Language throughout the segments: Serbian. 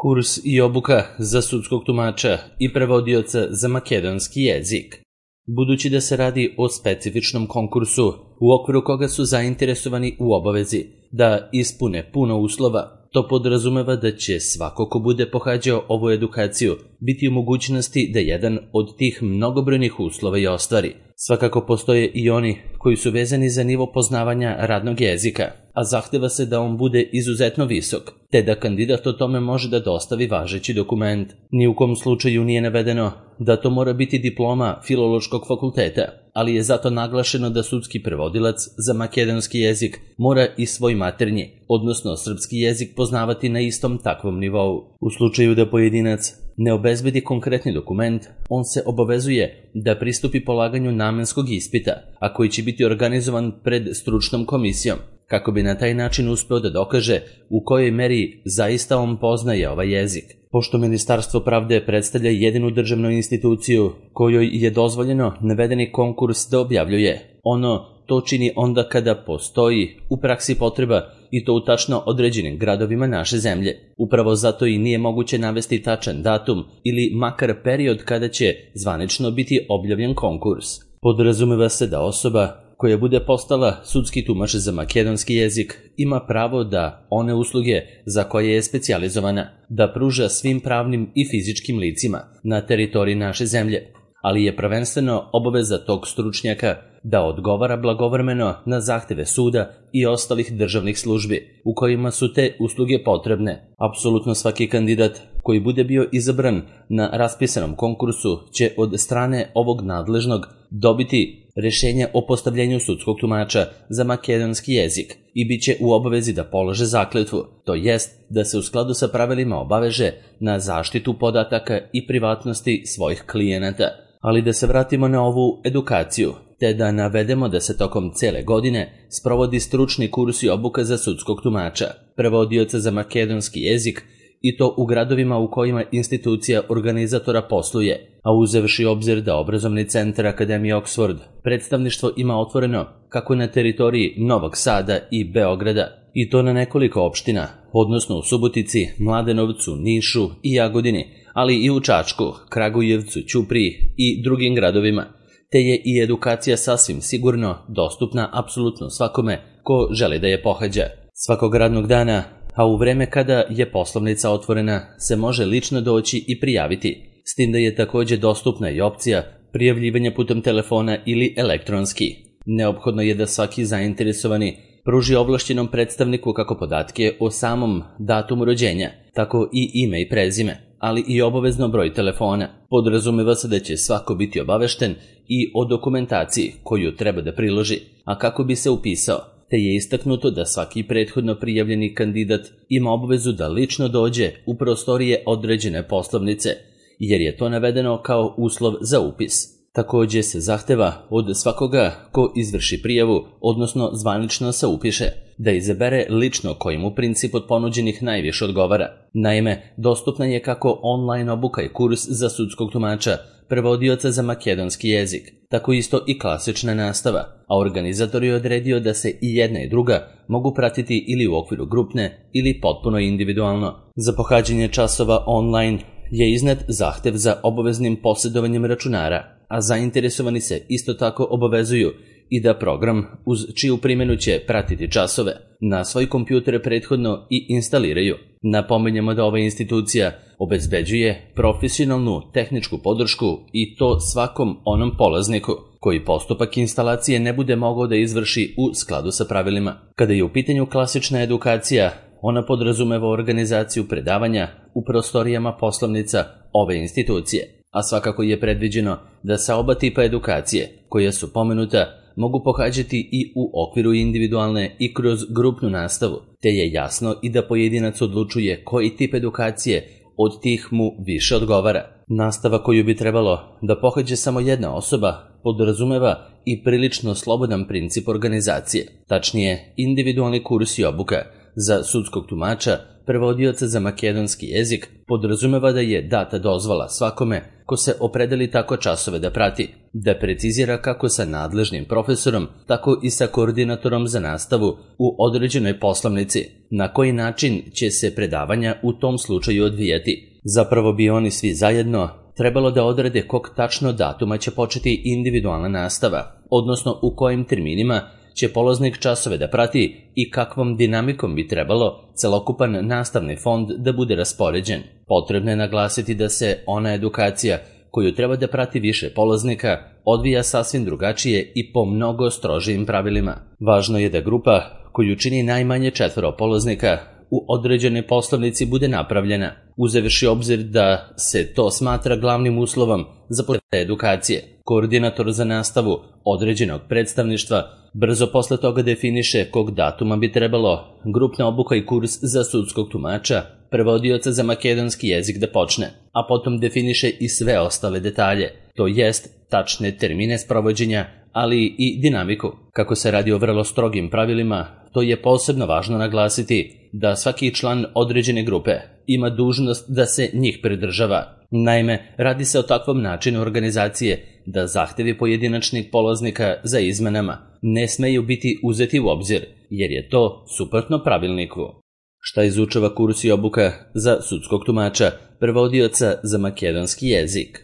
Kurs i obuka za sudskog tumača i prevodioca za makedonski jezik. Budući da se radi o specifičnom konkursu u okviru koga su zainteresovani u obavezi da ispune puno uslova, to podrazumeva da će svako ko bude pohađao ovu edukaciju biti u mogućnosti da jedan od tih mnogobrojnih uslova i ostvari. Svakako postoje i oni koji su vezani za nivo poznavanja radnog jezika, a zahteva se da on bude izuzetno visok, te da kandidat o tome može da dostavi važeći dokument. Ni u kom slučaju nije navedeno da to mora biti diploma Filološkog fakulteta, ali je zato naglašeno da sudski prevodilac za makedonski jezik mora i svoj maternji, odnosno srpski jezik poznavati na istom takvom nivou. U slučaju da pojedinac ne obezbedi konkretni dokument, on se obavezuje da pristupi polaganju namenskog ispita, a koji će biti organizovan pred stručnom komisijom, kako bi na taj način uspeo da dokaže u kojoj meri zaista on poznaje ovaj jezik. Pošto Ministarstvo pravde predstavlja jedinu državnu instituciju kojoj je dozvoljeno navedeni konkurs da objavljuje, ono to čini onda kada postoji u praksi potreba i to u tačno određenim gradovima naše zemlje. Upravo zato i nije moguće navesti tačan datum ili makar period kada će zvanično biti objavljen konkurs. Podrazumeva se da osoba koja bude postala sudski tumač za makedonski jezik ima pravo da one usluge za koje je specijalizovana da pruža svim pravnim i fizičkim licima na teritoriji naše zemlje, ali je prvenstveno obaveza tog stručnjaka da odgovara blagovremeno na zahteve suda i ostalih državnih službi u kojima su te usluge potrebne. Apsolutno svaki kandidat koji bude bio izabran na raspisanom konkursu će od strane ovog nadležnog dobiti rešenje o postavljenju sudskog tumača za makedonski jezik i bit će u obavezi da polože zakletvu, to jest da se u skladu sa pravilima obaveže na zaštitu podataka i privatnosti svojih klijenata. Ali da se vratimo na ovu edukaciju, te da navedemo da se tokom cele godine sprovodi stručni kurs i obuka za sudskog tumača, prevodioca za makedonski jezik, i to u gradovima u kojima institucija organizatora posluje, a uzevši obzir da obrazovni centar Akademije Oxford predstavništvo ima otvoreno kako na teritoriji Novog Sada i Beograda, i to na nekoliko opština, odnosno u Subotici, Mladenovcu, Nišu i Jagodini, ali i u Čačku, Kragujevcu, Ćupriji i drugim gradovima, te je i edukacija sasvim sigurno dostupna apsolutno svakome ko želi da je pohađa. Svakog radnog dana, a u vreme kada je poslovnica otvorena, se može lično doći i prijaviti, s tim da je takođe dostupna i opcija prijavljivanja putem telefona ili elektronski. Neophodno je da svaki zainteresovani pruži ovlašćenom predstavniku kako podatke o samom datumu rođenja, tako i ime i prezime, ali i obavezno broj telefona. Podrazumeva se da će svako biti obavešten i o dokumentaciji koju treba da priloži, a kako bi se upisao, te je istaknuto da svaki prethodno prijavljeni kandidat ima obavezu da lično dođe u prostorije određene poslovnice, jer je to navedeno kao uslov za upis. Takođe se zahteva od svakoga ko izvrši prijavu, odnosno zvanično se upiše, da izabere lično koji mu princip od ponuđenih najviše odgovara. Naime, dostupna je kako online obuka i kurs za sudskog tumača, prevodioca za makedonski jezik, tako isto i klasična nastava, a organizator je odredio da se i jedna i druga mogu pratiti ili u okviru grupne ili potpuno individualno. Za pohađanje časova online je iznet zahtev za obaveznim posjedovanjem računara, a zainteresovani se isto tako obavezuju i da program uz čiju primjenu će pratiti časove na svoj kompjuter prethodno i instaliraju. Napominjemo da ova institucija obezbeđuje profesionalnu tehničku podršku i to svakom onom polazniku koji postupak instalacije ne bude mogao da izvrši u skladu sa pravilima. Kada je u pitanju klasična edukacija, ona podrazumeva organizaciju predavanja u prostorijama poslovnica ove institucije, a svakako je predviđeno da sa oba tipa edukacije, koja su pomenuta, mogu pohađati i u okviru individualne i kroz grupnu nastavu, te je jasno i da pojedinac odlučuje koji tip edukacije od tih mu više odgovara. Nastava koju bi trebalo da pohađe samo jedna osoba podrazumeva i prilično slobodan princip organizacije, tačnije individualni kurs i obuka za sudskog tumača, prevodioca za makedonski jezik, podrazumeva da je data dozvola svakome ko se opredeli tako časove da prati, da precizira kako sa nadležnim profesorom, tako i sa koordinatorom za nastavu u određenoj poslovnici, na koji način će se predavanja u tom slučaju odvijati. Zapravo bi oni svi zajedno trebalo da odrede kog tačno datuma će početi individualna nastava, odnosno u kojim terminima će polaznik časove da prati i kakvom dinamikom bi trebalo celokupan nastavni fond da bude raspoređen. Potrebno je naglasiti da se ona edukacija koju treba da prati više polaznika odvija sasvim drugačije i po mnogo strožijim pravilima. Važno je da grupa koju čini najmanje 4 polaznika u određenoj poslovnici bude napravljena, uzevši obzir da se to smatra glavnim uslovom za početak edukacije. Koordinator za nastavu određenog predstavništva brzo posle toga definiše kog datuma bi trebalo grupna obuka i kurs za sudskog tumača, prevodioca za makedonski jezik da počne, a potom definiše i sve ostale detalje, to jest tačne termine sprovođenja, ali i dinamiku. Kako se radi o vrlo strogim pravilima, to je posebno važno naglasiti da svaki član određene grupe ima dužnost da se njih pridržava. Naime, radi se o takvom načinu organizacije da zahtevi pojedinačnih polaznika za izmenama ne smeju biti uzeti u obzir, jer je to suprotno pravilniku. Šta izučava kurs i obuka za sudskog tumača, prevodioca za makedonski jezik?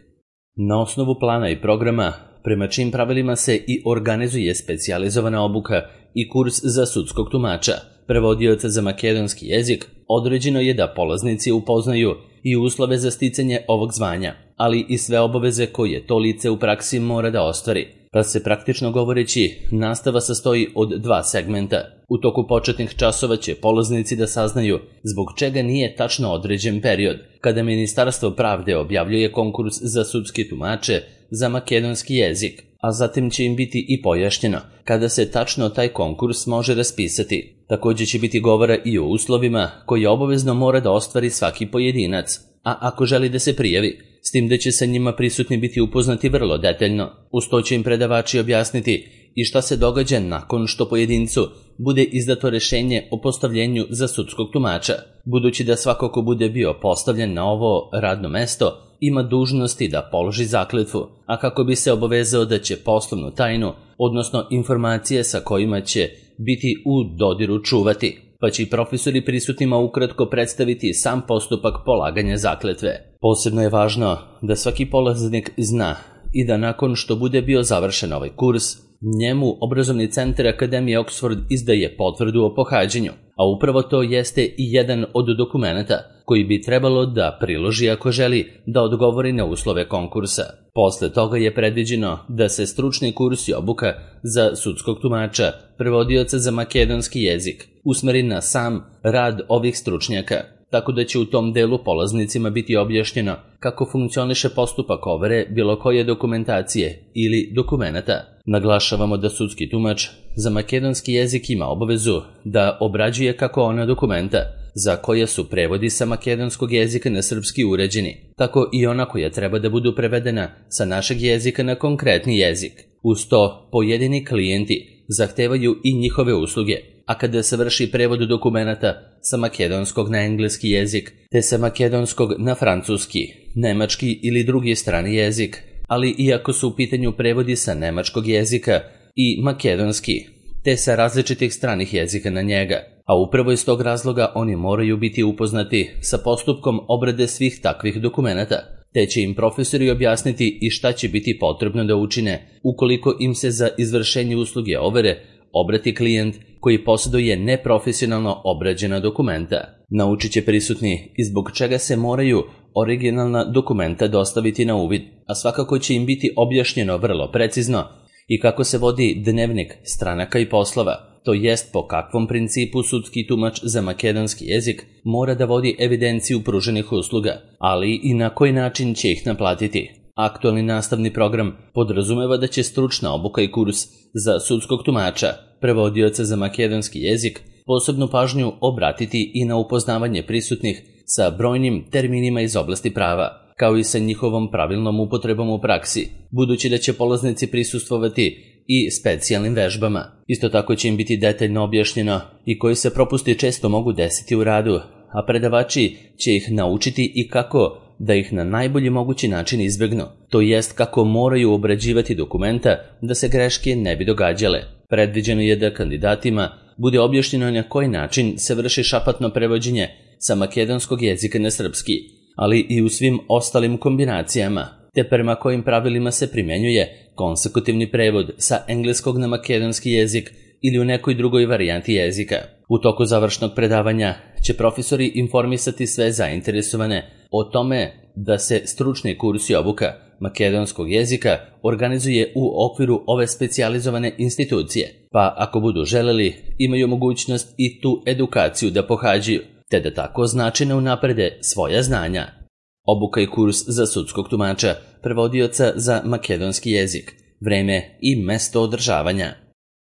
Na osnovu plana i programa, prema čim pravilima se i organizuje specijalizovana obuka i kurs za sudskog tumača, prevodioca za makedonski jezik, određeno je da polaznici upoznaju i uslove za sticanje ovog zvanja, ali i sve obaveze koje to lice u praksi mora da ostvari. Pa se praktično govoreći, nastava sastoji od 2 segmenta. U toku početnih časova će polaznici da saznaju zbog čega nije tačno određen period kada Ministarstvo pravde objavljuje konkurs za sudske tumače za makedonski jezik, a zatim će im biti i pojašnjeno kada se tačno taj konkurs može raspisati. Također će biti govora i o uslovima koje obavezno mora da ostvari svaki pojedinac, a ako želi da se prijavi, s tim da će sa njima prisutni biti upoznati vrlo detaljno. Uz to će im predavači objasniti i šta se događa nakon što pojedincu bude izdato rešenje o postavljenju za sudskog tumača, budući da svako ko bude bio postavljen na ovo radno mesto ima dužnosti da položi zakletvu, a kako bi se obavezao da će poslovnu tajnu, odnosno informacije sa kojima će biti u dodiru čuvati, pa će i profesori prisutnima ukratko predstaviti sam postupak polaganja zakletve. Posebno je važno da svaki polaznik zna i da nakon što bude bio završen ovaj kurs, njemu obrazovni centar Akademije Oxford izdaje potvrdu o pohađanju, a upravo to jeste i jedan od dokumenata koji bi trebalo da priloži ako želi da odgovori na uslove konkursa. Posle toga je predviđeno da se stručni kurs i obuka za sudskog tumača, prevodioca za makedonski jezik, usmeri na sam rad ovih stručnjaka, tako da će u tom delu polaznicima biti objašnjeno kako funkcioniše postupak overe bilo koje dokumentacije ili dokumenata. Naglašavamo da sudski tumač za makedonski jezik ima obavezu da obrađuje kako ona dokumenta za koje su prevodi sa makedonskog jezika na srpski uređeni, tako i ona koja treba da budu prevedena sa našeg jezika na konkretni jezik. Uz to, pojedini klijenti zahtevaju i njihove usluge, a kada se vrši prevod dokumenata sa makedonskog na engleski jezik, te sa makedonskog na francuski, nemački ili drugi strani jezik, ali iako su u pitanju prevodi sa nemačkog jezika i makedonski, te sa različitih stranih jezika na njega, a upravo iz tog razloga oni moraju biti upoznati sa postupkom obrade svih takvih dokumenata, te će im profesori objasniti i šta će biti potrebno da učine ukoliko im se za izvršenje usluge overe obrati klijent koji posjeduje neprofesionalno obrađena dokumenta. Naučit će prisutni i zbog čega se moraju originalna dokumenta dostaviti na uvid, a svakako će im biti objašnjeno vrlo precizno i kako se vodi dnevnik stranaka i poslova, to jest po kakvom principu sudski tumač za makedonski jezik mora da vodi evidenciju pruženih usluga, ali i na koji način će ih naplatiti. Aktualni nastavni program podrazumeva da će stručna obuka i kurs za sudskog tumača, prevodioca za makedonski jezik, posebnu pažnju obratiti i na upoznavanje prisutnih sa brojnim terminima iz oblasti prava, kao i sa njihovom pravilnom upotrebom u praksi, budući da će polaznici prisustvovati i specijalnim vežbama. Isto tako će im biti detaljno objašnjeno i koji se propusti često mogu desiti u radu, a predavači će ih naučiti i kako da ih na najbolji mogući način izbegnu, to jest kako moraju obrađivati dokumenta da se greške ne bi događale. Predviđeno je da kandidatima bude objašnjeno na koji način se vrši šapatno prevođenje sa makedonskog jezika na srpski, ali i u svim ostalim kombinacijama, te prema kojim pravilima se primenjuje konsekutivni prevod sa engleskog na makedonski jezik ili u nekoj drugoj varijanti jezika. U toku završnog predavanja će profesori informisati sve zainteresovane o tome da se stručni kurs i obuka makedonskog jezika organizuje u okviru ove specijalizovane institucije, pa ako budu želeli imaju mogućnost i tu edukaciju da pohađaju, te da tako značajno unaprede svoja znanja. Obuka i kurs za sudskog tumača, prevodioca za makedonski jezik, vreme i mesto održavanja.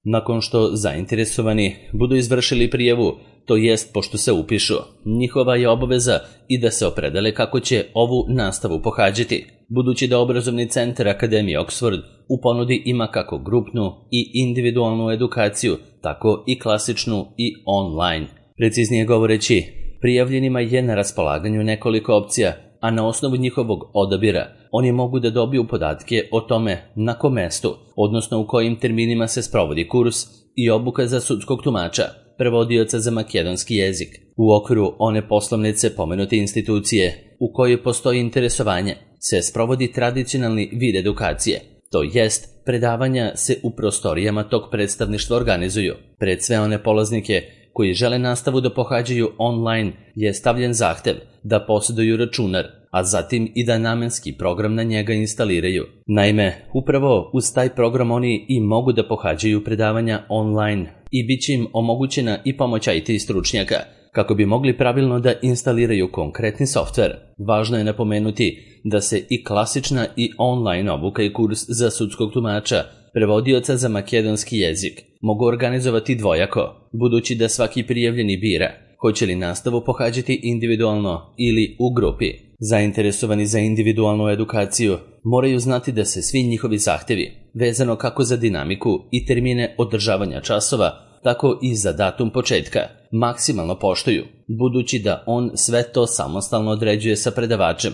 Nakon što zainteresovani budu izvršili prijavu, to jest pošto se upišu, njihova je obaveza i da se opredele kako će ovu nastavu pohađati, budući da obrazovni centar Akademije Oxford u ponudi ima kako grupnu i individualnu edukaciju, tako i klasičnu i online. Preciznije govoreći, prijavljenima je na raspolaganju nekoliko opcija, a na osnovu njihovog odabira oni mogu da dobiju podatke o tome na kom mestu, odnosno u kojim terminima se sprovodi kurs i obuka za sudskog tumača, prevodioca za makedonski jezik, u okviru one poslovnice pomenute institucije u kojoj postoji interesovanje, se sprovodi tradicionalni vid edukacije, to jest predavanja se u prostorijama tog predstavništva organizuju. Pred sve one polaznike koji žele nastavu da pohađaju online je stavljen zahtev da posjeduju računar, a zatim i da namenski program na njega instaliraju. Naime, upravo uz taj program oni i mogu da pohađaju predavanja online i bit će im omogućena i pomoć IT stručnjaka kako bi mogli pravilno da instaliraju konkretni softver. Važno je napomenuti da se i klasična i online obuka i kurs za sudskog tumača, prevodioca za makedonski jezik, mogu organizovati dvojako, budući da svaki prijavljeni bira hoće li nastavu pohađati individualno ili u grupi. Zainteresovani za individualnu edukaciju moraju znati da se svi njihovi zahtevi, vezano kako za dinamiku i termine održavanja časova, tako i za datum početka, maksimalno poštuju, budući da on sve to samostalno određuje sa predavačem,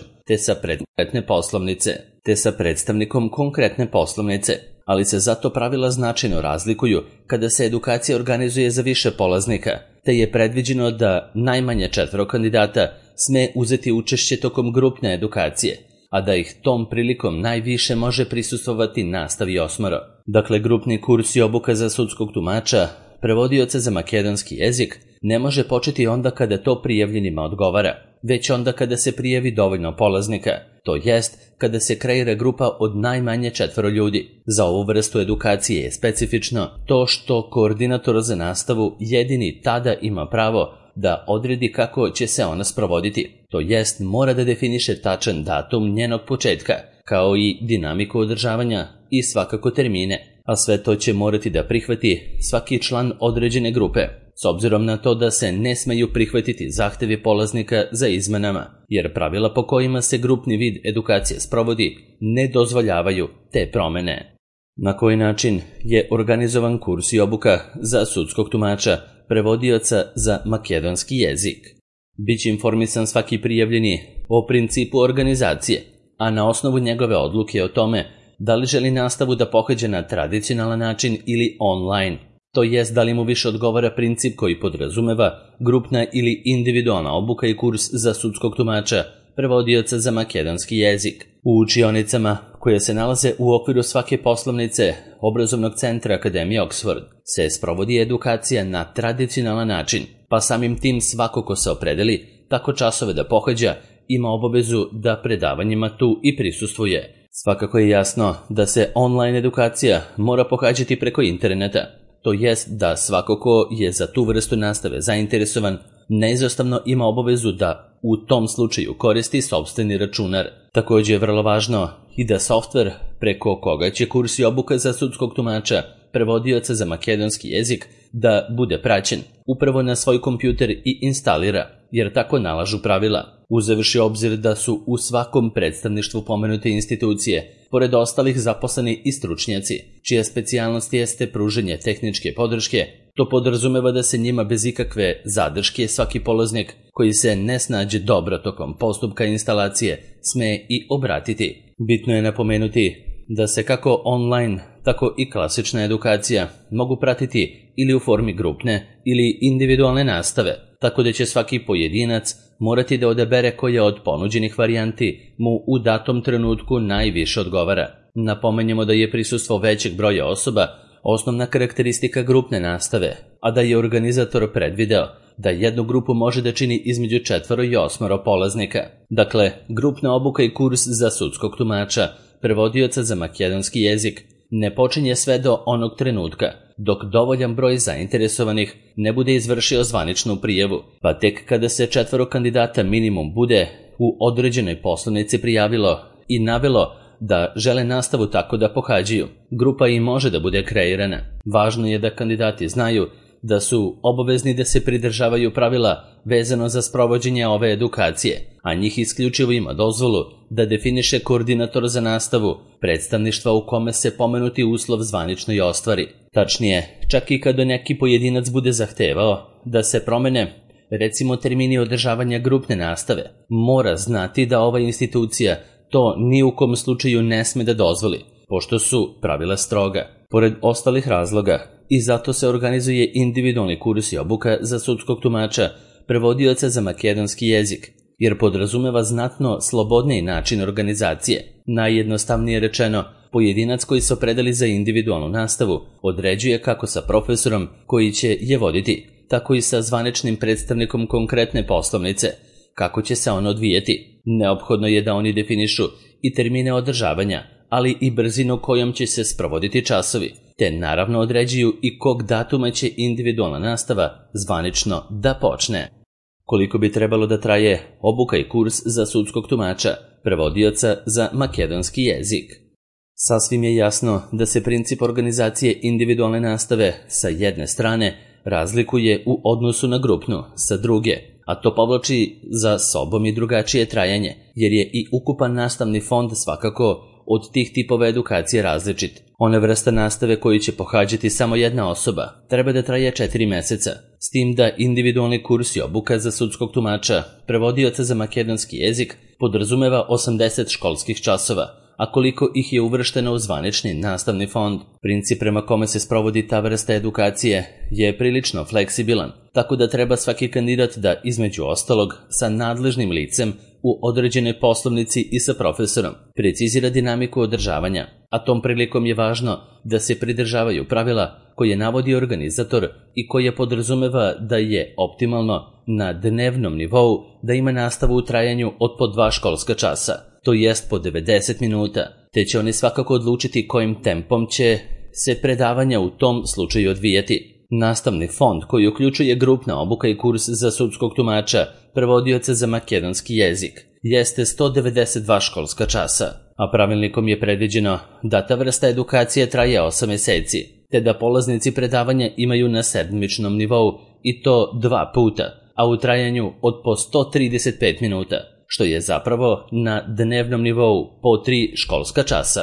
te sa predstavnikom konkretne poslovnice, ali se zato pravila značajno razlikuju kada se edukacija organizuje za više polaznika, te je predviđeno da najmanje 4 kandidata sme uzeti učešće tokom grupne edukacije, a da ih tom prilikom najviše može prisustvovati nastavi 8. Dakle, grupni kurs i obuka za sudskog tumača, prevodioca za makedonski jezik, ne može početi onda kada to prijavljenima odgovara, već onda kada se prijavi dovoljno polaznika, to jest kada se kreira grupa od najmanje 4 ljudi. Za ovu vrstu edukacije je specifično to što koordinator za nastavu jedini tada ima pravo da odredi kako će se ona sprovoditi, to jest mora da definiše tačan datum njenog početka, kao i dinamiku održavanja i svakako termine, a sve to će morati da prihvati svaki član određene grupe, s obzirom na to da se ne smeju prihvatiti zahtevi polaznika za izmenama, jer pravila po kojima se grupni vid edukacije sprovodi ne dozvoljavaju te promene. Na koji način je organizovan kurs i obuka za sudskog tumača, prevodioca za makedonski jezik? Biće informisan svaki prijavljeni o principu organizacije, a na osnovu njegove odluke o tome da li želi nastavu da pohađa na tradicionalan način ili online, to jest da li mu više odgovara princip koji podrazumeva grupna ili individualna obuka i kurs za sudskog tumača, prevodioca za makedonski jezik. U učionicama koje se nalaze u okviru svake poslovnice obrazovnog centra Akademije Oxford se sprovodi edukacija na tradicionalan način, pa samim tim svako ko se opredeli tako časove da pohađa ima obavezu da predavanjima tu i prisustvuje. Svakako je jasno da se online edukacija mora pohađati preko interneta, to jest da svako ko je za tu vrstu nastave zainteresovan neizostavno ima obavezu da u tom slučaju koristi sopstveni računar. Također je vrlo važno i da softver preko koga će kurs i obuka za sudskog tumača, prevodioca za makedonski jezik, da bude praćen upravo na svoj kompjuter i instalira, jer tako nalažu pravila, uzevši obzir da su u svakom predstavništvu pomenute institucije, pored ostalih zaposleni i stručnjaci, čija specijalnost jeste pruženje tehničke podrške. To podrazumeva da se njima bez ikakve zadrške svaki polaznik koji se ne snađe dobro tokom postupka instalacije sme i obratiti. Bitno je napomenuti da se kako online, tako i klasična edukacija mogu pratiti ili u formi grupne ili individualne nastave, tako da će svaki pojedinac morati da odabere koja od ponuđenih varijanti mu u datom trenutku najviše odgovara. Napomenjemo da je prisustvo većeg broja osoba osnovna karakteristika grupne nastave, a da je organizator predvideo da jednu grupu može da čini između 4 i 8 polaznika. Dakle, grupna obuka i kurs za sudskog tumača, prevodioca za makedonski jezik, ne počinje sve do onog trenutka, dok dovoljan broj zainteresovanih ne bude izvršio zvaničnu prijavu, pa tek kada se 4 kandidata minimum bude u određenoj poslovnici prijavilo i navelo da žele nastavu tako da pohađaju, grupa i može da bude kreirana. Važno je da kandidati znaju da su obavezni da se pridržavaju pravila vezano za sprovođenje ove edukacije, a njih isključivo ima dozvolu da definiše koordinator za nastavu predstavništva u kome se pomenuti uslov zvanično i ostvari. Tačnije, čak i kada neki pojedinac bude zahtevao da se promene, recimo termini održavanja grupne nastave, mora znati da ova institucija to ni u kom slučaju ne sme da dozvoli, pošto su pravila stroga. Pored ostalih razloga, i zato se organizuje individualni kurs i obuka za sudskog tumača, prevodioca za makedonski jezik, jer podrazumeva znatno slobodniji način organizacije. Najjednostavnije rečeno, pojedinac koji se opredeli za individualnu nastavu određuje kako sa profesorom koji će je voditi, tako i sa zvaničnim predstavnikom konkretne poslovnice, kako će se ono odvijeti. Neophodno je da oni definišu i termine održavanja, ali i brzinu kojom će se sprovoditi časovi, te naravno određuju i kog datuma će individualna nastava zvanično da počne. Koliko bi trebalo da traje obuka i kurs za sudskog tumača, prevodioca za makedonski jezik? Sasvim je jasno da se princip organizacije individualne nastave sa jedne strane razlikuje u odnosu na grupnu sa druge, a to povlači za sobom i drugačije trajanje, jer je i ukupan nastavni fond svakako od tih tipova edukacije različit. One vrsta nastave koju će pohađati samo jedna osoba treba da traje 4 meseca, s tim da individualni kurs i obuka za sudskog tumača, prevodioca za makedonski jezik, podrazumeva 80 školskih časova, a koliko ih je uvršteno u zvanični nastavni fond. Princip prema kome se sprovodi ta vrsta edukacije je prilično fleksibilan, tako da treba svaki kandidat da, između ostalog, sa nadležnim licem u određenoj poslovnici i sa profesorom precizira dinamiku održavanja, a tom prilikom je važno da se pridržavaju pravila koje navodi organizator i koje podrazumeva da je optimalno na dnevnom nivou da ima nastavu u trajanju od po 2 školska časa, to jest po 90 minuta, te će oni svakako odlučiti kojim tempom će se predavanja u tom slučaju odvijati. Nastavni fond koji uključuje grupna obuka i kurs za sudskog tumača, prevodioca za makedonski jezik, jeste 192 školska časa, a pravilnikom je predviđeno da ta vrsta edukacije traje 8 meseci, te da polaznici predavanja imaju na sedmičnom nivou i to 2 puta, a u trajanju od po 135 minuta, što je zapravo na dnevnom nivou po 3 školska časa.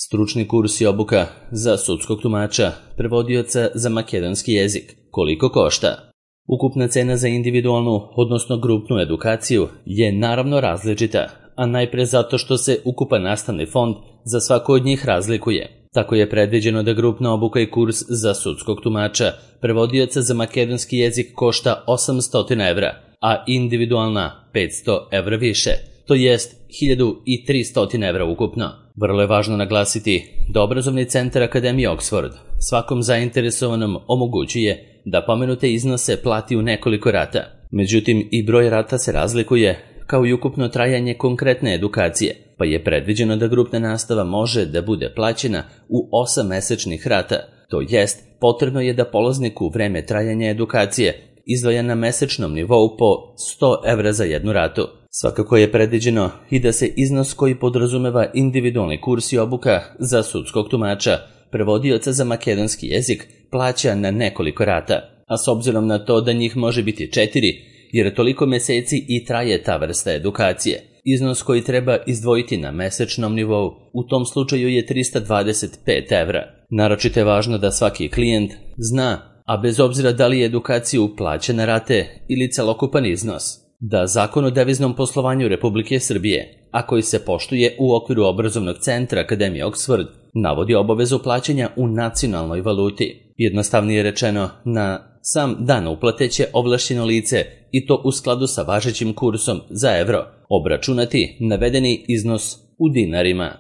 Stručni kurs i obuka za sudskog tumača, prevodioca za makedonski jezik. Koliko košta? Ukupna cena za individualnu, odnosno grupnu edukaciju je naravno različita, a najpre zato što se ukupan nastavni fond za svako od njih razlikuje. Tako je predviđeno da grupna obuka i kurs za sudskog tumača, prevodioca za makedonski jezik košta 800 evra, a individualna 500 evra više, to jest 1300 evra ukupno. Vrlo je važno naglasiti da obrazovni centar Akademije Oxford svakom zainteresovanom omogućuje da pomenute iznose plati u nekoliko rata. Međutim, i broj rata se razlikuje, kao i ukupno trajanje konkretne edukacije, pa je predviđeno da grupna nastava može da bude plaćena u 8 mesečnih rata, to jest potrebno je da polaznik u vreme trajanja edukacije izdvaja na mesečnom nivou po 100 evra za jednu ratu. Svakako je predviđeno i da se iznos koji podrazumeva individualni kurs i obuka za sudskog tumača, prevodioca za makedonski jezik, plaća na nekoliko rata, a s obzirom na to da njih može biti 4 jer toliko meseci i traje ta vrsta edukacije. Iznos koji treba izdvojiti na mesečnom nivou u tom slučaju je 325 evra. Naročito je važno da svaki klijent zna, a bez obzira da li je edukaciju plaćene rate ili celokupan iznos, da Zakon o deviznom poslovanju Republike Srbije, a koji se poštuje u okviru obrazovnog centra Akademije Oxford, navodi obavezu plaćanja u nacionalnoj valuti. Jednostavnije rečeno, na sam dan uplate će ovlašćeno lice, i to u skladu sa važećim kursom za evro, obračunati navedeni iznos u dinarima.